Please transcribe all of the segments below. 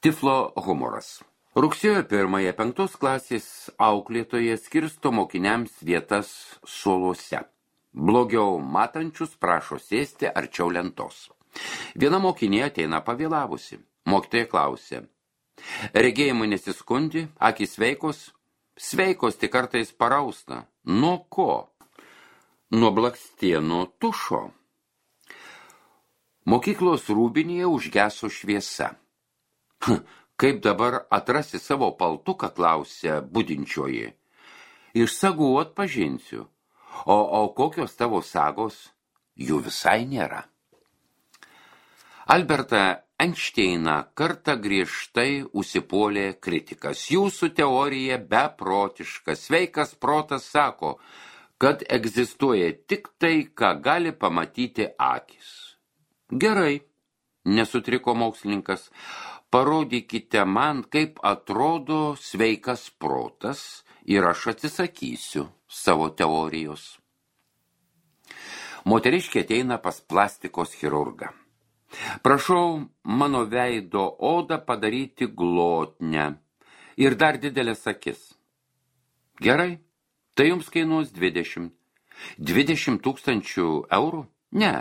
Tiflo humoras. Rugsėjo 1 5 klasės auklėtoje skirsto mokiniams vietas suoluose. Blogiau matančius prašo sėsti arčiau lentos. Viena mokinė ateina pavėlavusi. Mokytoja klausė. Regėjimai nesiskundi, akys sveikos? Sveikos tik kartais parausta. Nuo ko? Nuo blakstienų tušo. Mokyklos rūbinėje užgeso šviesa. Kaip dabar atrasi savo paltuką, klausė budinčioji. Iš sagų atpažinsiu. O kokios tavo sagos? Jų visai nėra. Albertą Einšteiną kartą griežtai užsipuolė kritikas. Jūsų teorija beprotiška. Sveikas protas sako, kad egzistuoja tik tai, ką gali pamatyti akis. Gerai, nesutriko mokslininkas. Parodykite man, kaip atrodo sveikas protas ir aš atsisakysiu savo teorijos. Moteriškė ateina pas plastikos chirurgą. Prašau mano veido odą padaryti glotnią ir dar didelės akis. Gerai, tai jums kainuos 20. 20 000 eurų? Ne,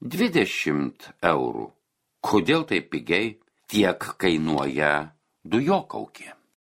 20 eurų. Kodėl taip pigiai? Tiek kainuoja dujokaukė.